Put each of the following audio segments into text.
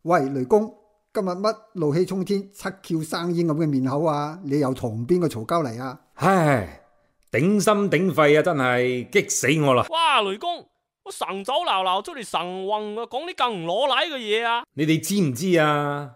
喂，雷公，今日乜怒氣沖天、七竅生煙咁嘅面口啊？你又同邊個嘈交嚟啊？唉，頂心頂肺啊，真係激死我啦！哇，雷公，我晨早流流出嚟神運啊，講啲咁唔攞禮嘅嘢啊！你哋知唔知啊？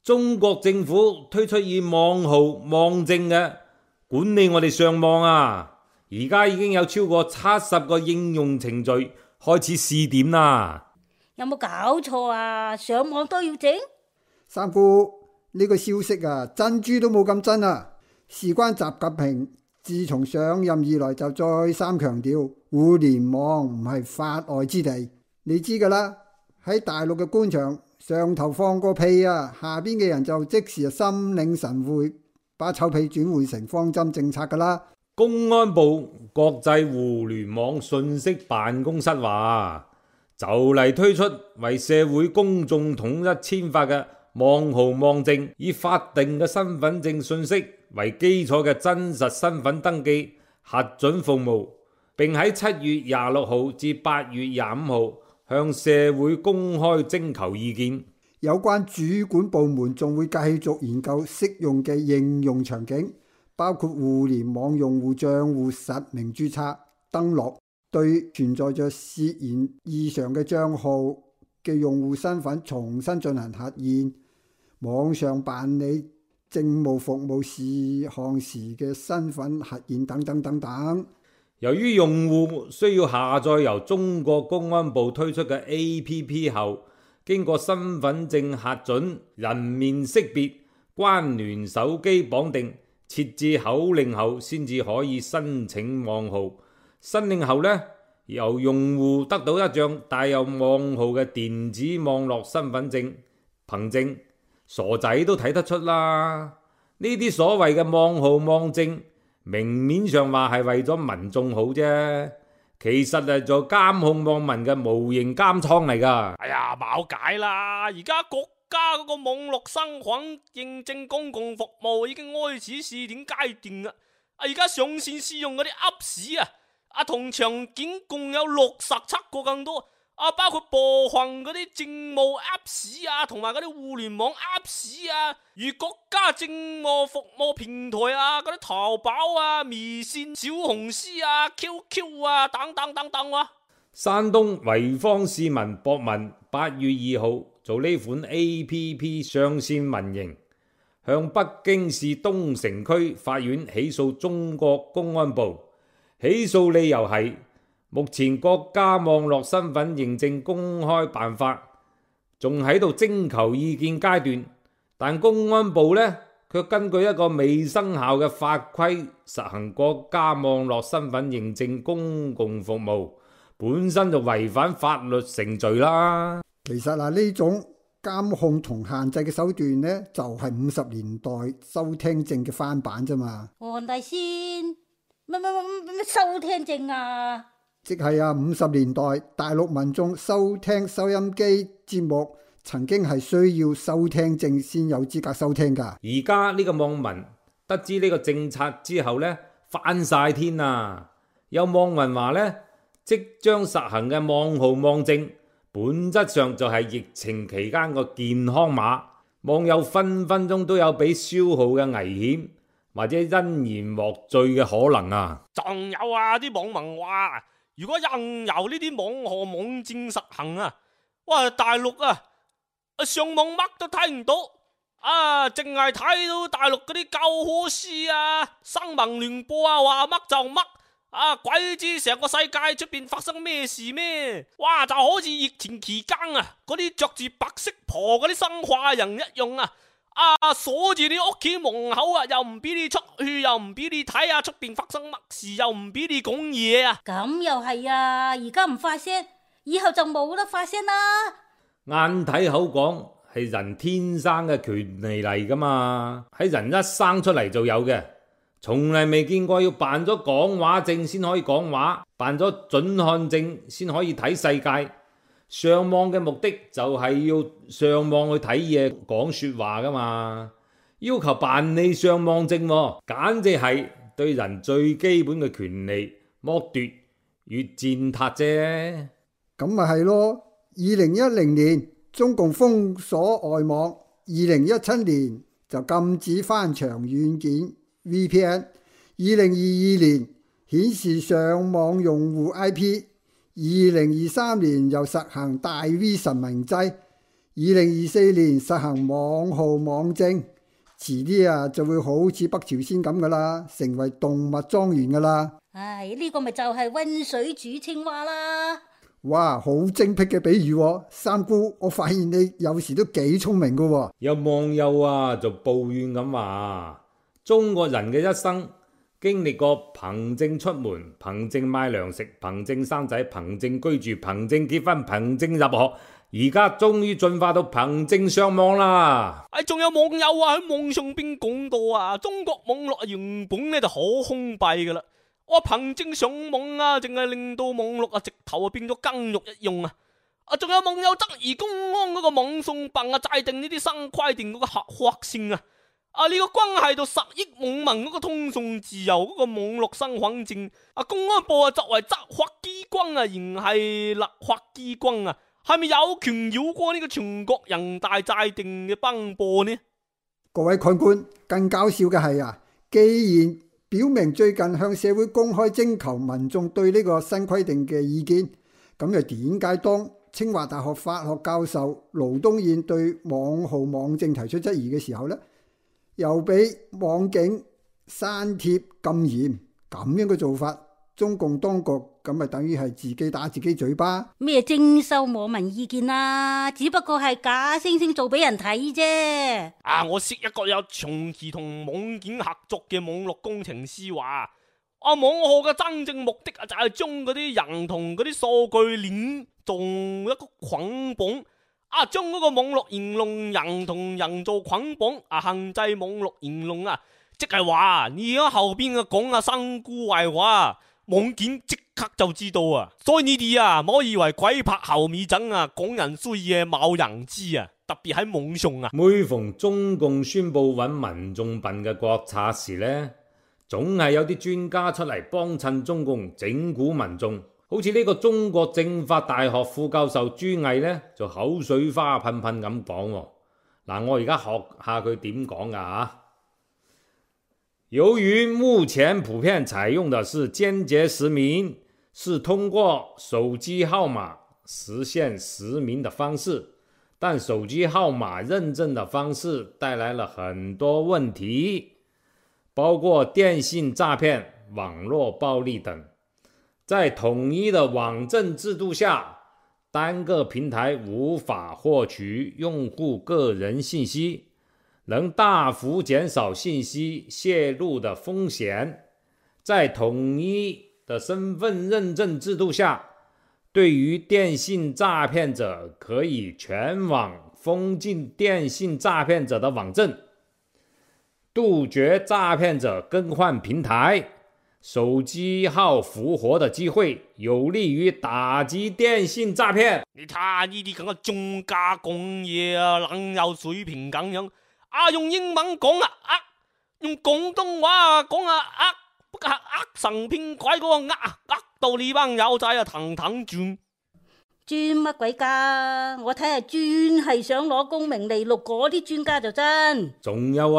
中國政府推出以網號網證嘅管理我哋上網啊，而家已經有超過70個應用程序開始試點啦。有冇搞錯啊？上網都要整？三姑，呢個消息啊，珍珠都冇咁真啊！事關習近平自從上任以來就再三強調，互聯網唔係法外之地。你知噶啦，喺大陸嘅官場，上頭放個屁啊，下邊嘅人就即時心領神會，把臭屁轉換成方針政策噶啦。公安部國際互聯網信息辦公室話，就嚟推出為社會公眾統一簽發嘅網號網證，以法定嘅身份證信息為基礎嘅真實身份登記核准服務，並喺7月26號至8月25號向社會公開徵求意見。有關主管部門仲會繼續研究適用嘅應用場景，包括互聯網用戶賬戶實名註冊登錄，對存在着涉嫌異常嘅賬號嘅用戶身份重新進行核驗，網上辦理政務服務事項時嘅身份核驗等等等等。由於用戶需要下載由中國公安部推出嘅 APP 後，經過身份證核准、人面識別、關聯手機綁定、設置口令後，先至可以申請網號。申領後呢，由用戶得到一張帶有網號嘅電子網絡身份證憑證。傻仔都睇得出啦，呢啲所謂嘅網號網證，明面上話係為咗民眾好啫，其實係做監控網民嘅無形監倉嚟噶。哎呀，冇解啦！而家國家嗰個網絡身份認證公共服務已經開始試點階段啦。而家上線試用嗰啲 Apps 同場景共有67個更多。包括部分嗰啲政務 Apps 同埋嗰啲互聯網 Apps 如國家政務服務平台嗰啲淘寶微信、小紅書QQ 等等等等。山東濰坊市民博文8月2號做呢款 APP 上線民營，向北京市東城區法院起訴中國公安部，起訴理由係目前國家網絡身份認證公開辦法仲喺度徵求意見階段，但公安部呢卻根據一個未生效嘅法規實行國家網絡身份認證公共服務，本身就違反法律程序啦。其實呢種監控同限制嘅手段呢，就係50年代收聽證嘅翻版啫嘛。黃大仙，乜收聽證啊？即係50年代大陸民眾收聽收音機節目，曾經係需要收聽證先有資格收聽噶。而家呢個網民得知呢個政策之後呢，翻晒天啊！有網民話呢，即將實行嘅網號網證，本質上就係疫情期間個健康碼。網友分分鐘都有俾消耗嘅危險，或者因言獲罪嘅可能啊！仲有啲網民話，如果任由呢啲網號網證實行哇，大陸上網乜都睇唔到淨係睇到大陸嗰啲教科書新聞聯播話乜就乜鬼知成個世界出邊發生咩事咩？哇，就好似疫情期間嗰啲着住白色袍嗰啲生化人一樣鎖住你屋企門口又唔俾你出去，又唔俾你睇出邊發生乜事，又唔俾你講嘢咁又係而家唔發聲，以後就冇得發聲啦。眼睇口講係人天生嘅權利嚟噶嘛，喺人一生出嚟就有嘅，從嚟未見過要辦咗講話證先可以講話，辦咗准看證先可以睇世界。上網嘅目的就係要上網去睇嘢講說話噶嘛，要求辦理上網證簡直係對人最基本嘅權利剝奪與踐踏啫。咁咪係咯，2010年中共封鎖外網，2017年就禁止翻牆軟件 VPN，2022年顯示上網用戶 IP，2023年又實行大 V 實名制，2024年實行網號網證，遲啲就會好似北朝鮮咁噶啦，成為動物莊園噶啦。唉，呢個咪就係溫水煮青蛙啦。哇，好精辟嘅比喻喎，三姑，我發現你有時都幾聰明噶喎。有網友就抱怨咁話，中國人嘅一生經歷過憑證出門、憑證買糧食、憑證生仔、憑證居住、憑證結婚、憑證入學，而家終於進化到憑證上網啦。仲有網友喺網上邊講到中國網絡原本呢就好封閉噶啦。我憑證上網淨係令到網絡直頭變咗監獄一樣仲有網友質疑公安嗰個網信辦制定呢啲新規定嗰個合法性呢個關係到10億網民嗰個通訊自由嗰個網絡身份證公安部作為執法機關仍係立法機關係咪有權繞過呢個全國人大制定嘅頒布呢？各位看官，更搞笑嘅係既然表明最近向社會公開徵求民眾對呢個新規定嘅意見，咁又點解當清華大學法學教授盧東彥對網號網證提出質疑嘅時候呢，又俾網警刪帖禁言？咁樣嘅做法，中共當局咁咪等於係自己打自己嘴巴？咩徵收網民意見只不過係假惺惺做俾人睇啫。我識一個有長期同網警合作嘅網絡工程師話，網號嘅真正目的就係將嗰啲人同嗰啲數據鏈做一個捆綁，將嗰個網絡言論人同人做捆綁，限制網絡言論即係話你而家後邊講三姑壞話，網警即刻就知道所以你哋唔好以為鬼拍後尾枕講人衰嘢冇人知特別喺網上每逢中共宣布揾民眾笨嘅國策時呢，總係有啲專家出嚟幫襯中共整蠱民眾，好似呢個中國政法大學副教授朱毅呢，就口水花噴噴咁講。我而家學下佢點講噶。由於目前普遍採用的是間接實名，是通過手機號碼實現實名的方式，但手機號碼認證的方式帶來了很多問題，包括電信詐騙、網絡暴力等。在統一的網證制度下，單個平台無法獲取用戶個人信息，能大幅減少信息泄露的風險。在統一的身份認證制度下，對於電信詐騙者可以全網封禁電信詐騙者的網證，杜絕詐騙者更換平台、手機號復活的機會，有利於打擊電信詐騙。你睇下呢啲咁嘅專家講嘢懶有水平咁樣用英文講用廣東話講不過神騙鬼嗰個到呢班友仔騰騰轉。轉乜鬼家？我睇係專係想攞功名利祿嗰啲專家就真。仲有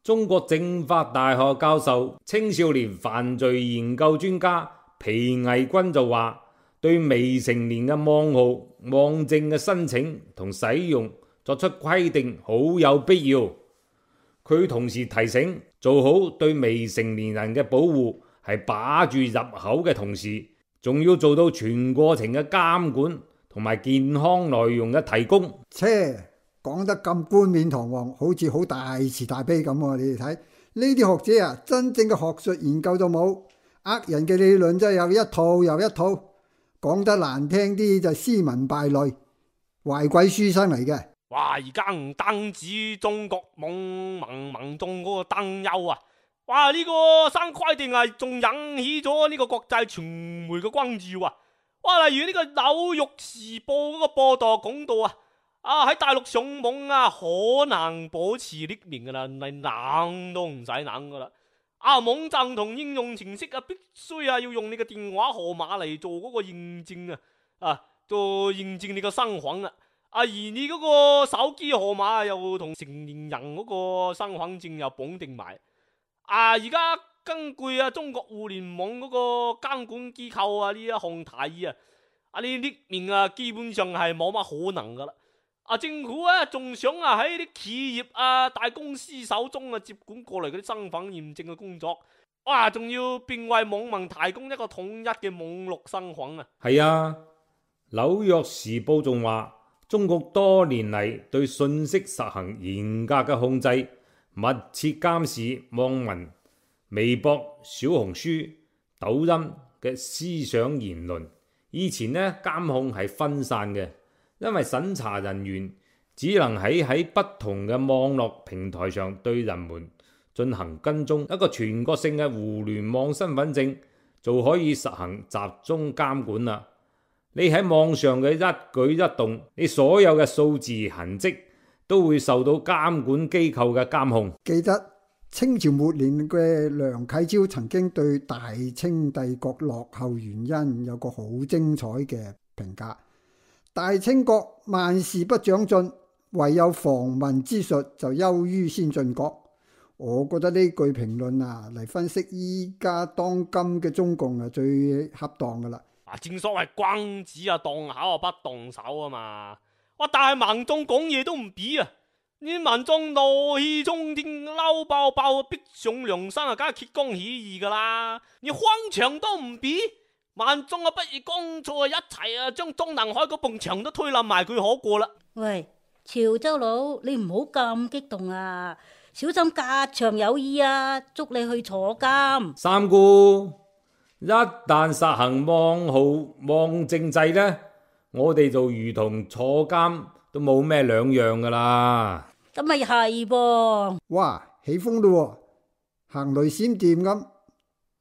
中國政法大學教授、青少年犯罪研究專家皮毅軍就話，對未成年嘅網號網證嘅申請同使用作出規定好有必要。佢同時提醒，做好對未成年人嘅保護，係把住入口嘅同時，仲要做到全過程嘅監管同埋健康內容嘅提供。講得咁冠冕堂皇，好似好大慈大悲咁你哋睇呢啲學者真正嘅學術研究都冇，人嘅理論真係有一套又一套，講得難聽啲就斯文敗類，壞鬼書生嚟嘅。而家唔單止中國網民眾嗰個擔憂呢個新規定仲引起咗呢個國際傳媒嘅關注例如呢個紐約時報嗰個報道講到喺大陸上網可能保持匿名噶啦，你諗都唔使諗噶啦。網站同應用程式必須要用你嘅電話號碼嚟做嗰個認證做認證你個身份而你嗰個手機號碼又同成年人嗰個身份證又綁定埋。而家根據中國互聯網嗰個監管機構呢一項提議你匿名基本上係冇乜可能噶啦。政府仲想喺啲企業大公司手中接管過嚟嗰啲身份驗證嘅工作，仲要並為網民提供一個統一嘅網絡身份係啊，紐約時報仲話，中國多年嚟對信息實行嚴格嘅控制，密切監視網民微博、小紅書、抖音嘅思想言論。以前呢，監控係分散嘅，因為審查人員只能喺不同嘅網絡平台上對人們進行跟蹤。一個全國性嘅互聯網身份證就可以實行集中監管啦。你喺網上嘅一舉一動，你所有嘅數字痕跡都會受到監管機構嘅監控。記得清朝末年嘅梁啟超曾經對大清帝國落後原因有個好精彩嘅評價：大清國萬事不長進，唯有防民之術就優於先進國。我覺得呢句評論嚟分析依家當今嘅中共最恰當噶啦。正所謂君子動口不動手嘛。但係民眾講嘢都唔俾你民眾怒氣沖天，嬲爆爆，逼上梁山梗係揭竿起義噶啦。你荒牆都唔俾，民眾不如乾脆一齊將中南海嗰埲牆都推冧埋佢好過啦。喂，潮州佬，你唔好咁激動小心隔牆有耳捉你去坐監。三姑，一旦實行網號網證制呢，我哋就如同坐監都冇咩兩樣噶啦。咁咪係噃。哇，起風咯，行雷閃電咁，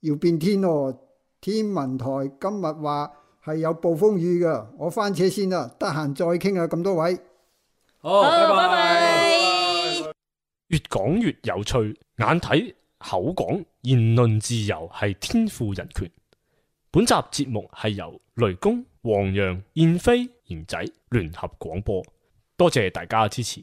要變天咯。天文台今日話係有暴風雨噶，我翻車先啦，得閒再傾咁多位。好，拜拜。越講越有趣，眼睇口講，言論自由係天賦人權。本集節目係由雷公、黃洋、燕飛、賢仔聯合廣播，多謝大家支持。